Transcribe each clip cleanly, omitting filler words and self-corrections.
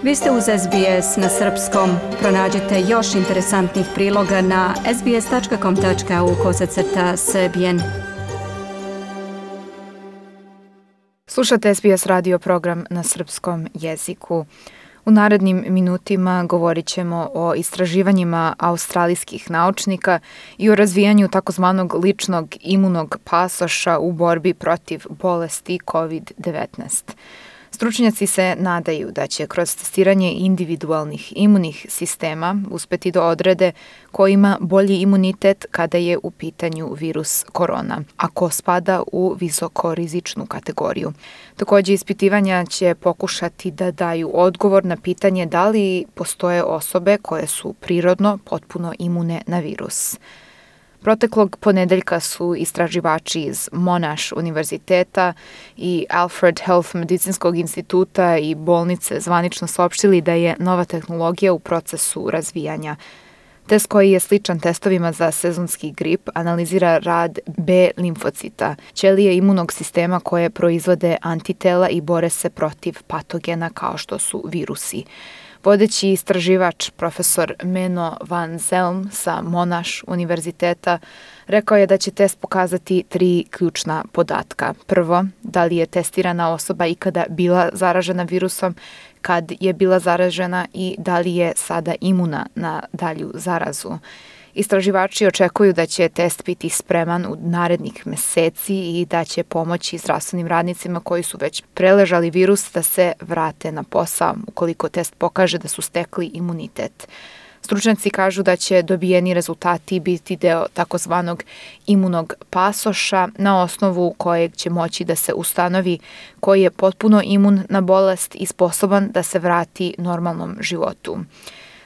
Vi ste uz SBS na srpskom. Pronađite još interesantnih priloga na sbs.com.au/srbijen. Slušate SBS radio program na srpskom jeziku. U narednim minutima govorit ćemo o istraživanjima australijskih naučnika i o razvijanju takozvanog ličnog imunog pasoša u borbi protiv bolesti COVID-19. Stručnjaci se nadaju da će kroz testiranje individualnih imunih sistema uspeti da odrede ko ima bolji imunitet kada je u pitanju virus korona, a ko spada u visokorizičnu kategoriju. Također, ispitivanja će pokušati da daju odgovor na pitanje da li postoje osobe koje su prirodno potpuno imune na virus. Proteklog ponedeljka su istraživači iz Monash univerziteta i Alfred Health medicinskog instituta i bolnice zvanično saopštili da je nova tehnologija u procesu razvijanja. Test koji je sličan testovima za sezonski grip analizira rad B limfocita, ćelije imunog sistema koje proizvode antitela i bore se protiv patogena kao što su virusi. Vodeći istraživač profesor Menno van Zelm sa Monash univerziteta rekao je da će test pokazati 3 ključna podatka. Prvo, da li je testirana osoba ikada bila zaražena virusom, kad je bila zaražena i da li je sada imuna na dalju zarazu. Istraživači očekuju da će test biti spreman u narednih meseci i da će pomoći zdravstvenim radnicima koji su već preležali virus da se vrate na posao ukoliko test pokaže da su stekli imunitet. Stručnjaci kažu da će dobijeni rezultati biti deo takozvanog imunog pasoša na osnovu kojeg će moći da se ustanovi koji je potpuno imun na bolest i sposoban da se vrati normalnom životu.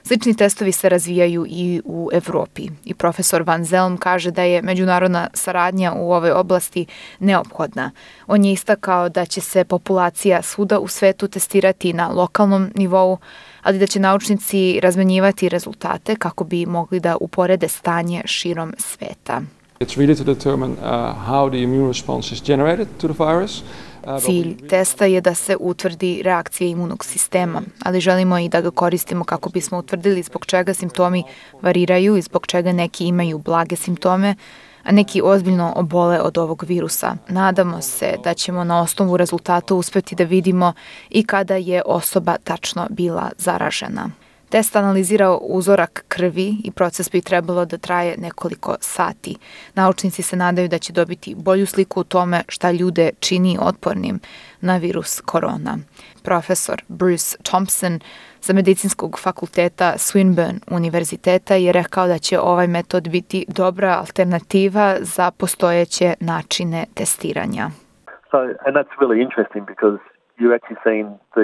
Slični testovi se razvijaju i u Evropi i profesor Van Zelm kaže da je međunarodna saradnja u ovoj oblasti neophodna. On je istakao da će se populacija svuda u svetu testirati na lokalnom nivou, ali da će naučnici razmenjivati rezultate kako bi mogli da uporede stanje širom sveta. It's really to determine how the immune response is generated to the virus. Cilj testa je da se utvrdi reakcija imunog sistema, ali želimo i da ga koristimo kako bismo utvrdili zbog čega simptomi variraju i zbog čega neki imaju blage simptome, a neki ozbiljno obole od ovog virusa. Nadamo se da ćemo na osnovu rezultata uspeti da vidimo i kada je osoba tačno bila zaražena. Test analizira uzorak krvi i proces bi trebalo da traje nekoliko sati. Naučnici se nadaju da će dobiti bolju sliku o tome šta ljude čini otpornim na virus korona. Profesor Bruce Thompson sa medicinskog fakulteta Swinburne univerziteta je rekao da će ovaj metod biti dobra alternativa za postojeće načine testiranja. And that's really interesting because you're actually seeing the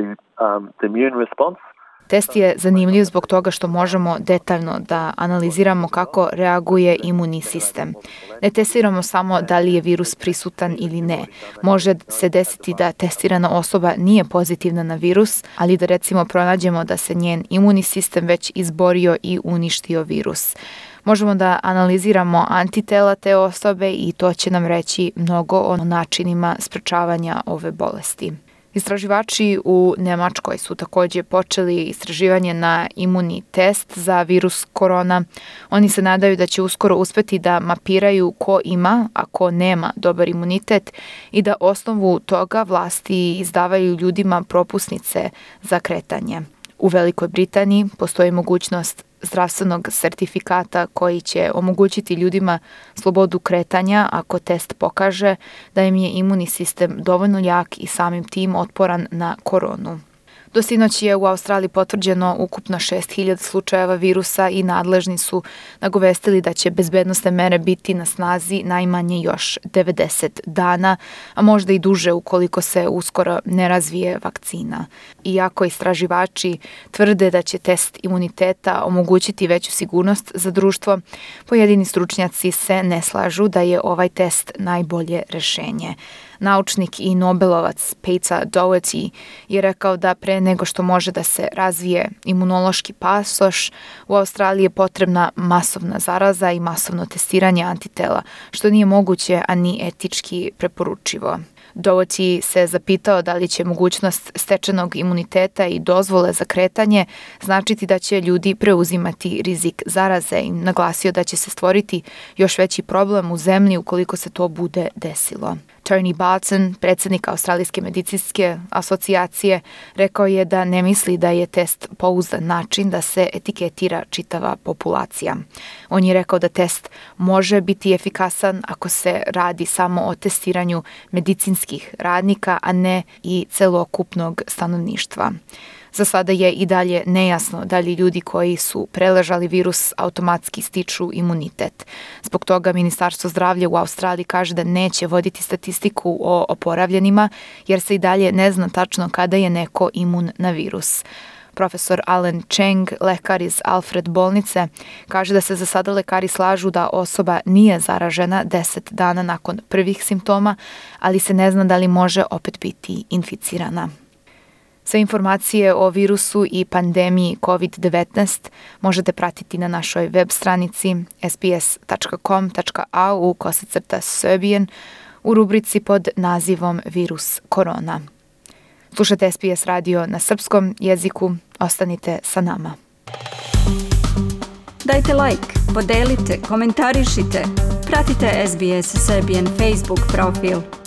immune response. Test je zanimljiv zbog toga što možemo detaljno da analiziramo kako reaguje imunni sistem. Ne testiramo samo da li je virus prisutan ili ne. Može se desiti da testirana osoba nije pozitivna na virus, ali da recimo pronađemo da se njen imunni sistem već izborio i uništio virus. Možemo da analiziramo antitela te osobe i to će nam reći mnogo o načinima sprečavanja ove bolesti. Istraživači u Nemačkoj su također počeli istraživanje na imunni test za virus korona. Oni se nadaju da će uskoro uspeti da mapiraju ko ima, a ko nema dobar imunitet i da osnovu toga vlasti izdavaju ljudima propusnice za kretanje. U Velikoj Britaniji postoji mogućnost zdravstvenog sertifikata koji će omogućiti ljudima slobodu kretanja ako test pokaže da im je imunni sistem dovoljno jak i samim tim otporan na koronu. Do sinoć je u Australiji potvrđeno ukupno 6.000 slučajeva virusa i nadležni su nagovestili da će bezbednosne mere biti na snazi najmanje još 90 dana, a možda i duže ukoliko se uskoro ne razvije vakcina. Iako istraživači tvrde da će test imuniteta omogućiti veću sigurnost za društvo, pojedini stručnjaci se ne slažu da je ovaj test najbolje rešenje. Naučnik i Nobelovac Peter Doherty je rekao da pre nego što može da se razvije imunološki pasoš, u Australiji je potrebna masovna zaraza i masovno testiranje antitela, što nije moguće, a ni etički preporučivo. Doherty se zapitao da li će mogućnost stečenog imuniteta i dozvole za kretanje značiti da će ljudi preuzimati rizik zaraze i naglasio da će se stvoriti još veći problem u zemlji ukoliko se to bude desilo. Tony Barton, predsjednik Australijske medicinske asocijacije, rekao je da ne misli da je test pouzdan način da se etiketira čitava populacija. On je rekao da test može biti efikasan ako se radi samo o testiranju medicinskih radnika, a ne i celokupnog stanovništva. Za sada je i dalje nejasno da li ljudi koji su preležali virus automatski stiču imunitet. Zbog toga Ministarstvo zdravlja u Australiji kaže da neće voditi statistiku o oporavljenima, jer se i dalje ne zna tačno kada je neko imun na virus. Profesor Alan Cheng, lekar iz Alfred bolnice, kaže da se za sada lekari slažu da osoba nije zaražena 10 dana nakon prvih simptoma, ali se ne zna da li može opet biti inficirana. Sve informacije o virusu i pandemiji COVID-19 možete pratiti na našoj web stranici sbs.com.au/Serbian u rubrici pod nazivom Virus korona. Slušate SBS radio na srpskom jeziku. Ostanite sa nama. Dajte like, podelite, komentarišite. Pratite SBS Serbian Facebook profil.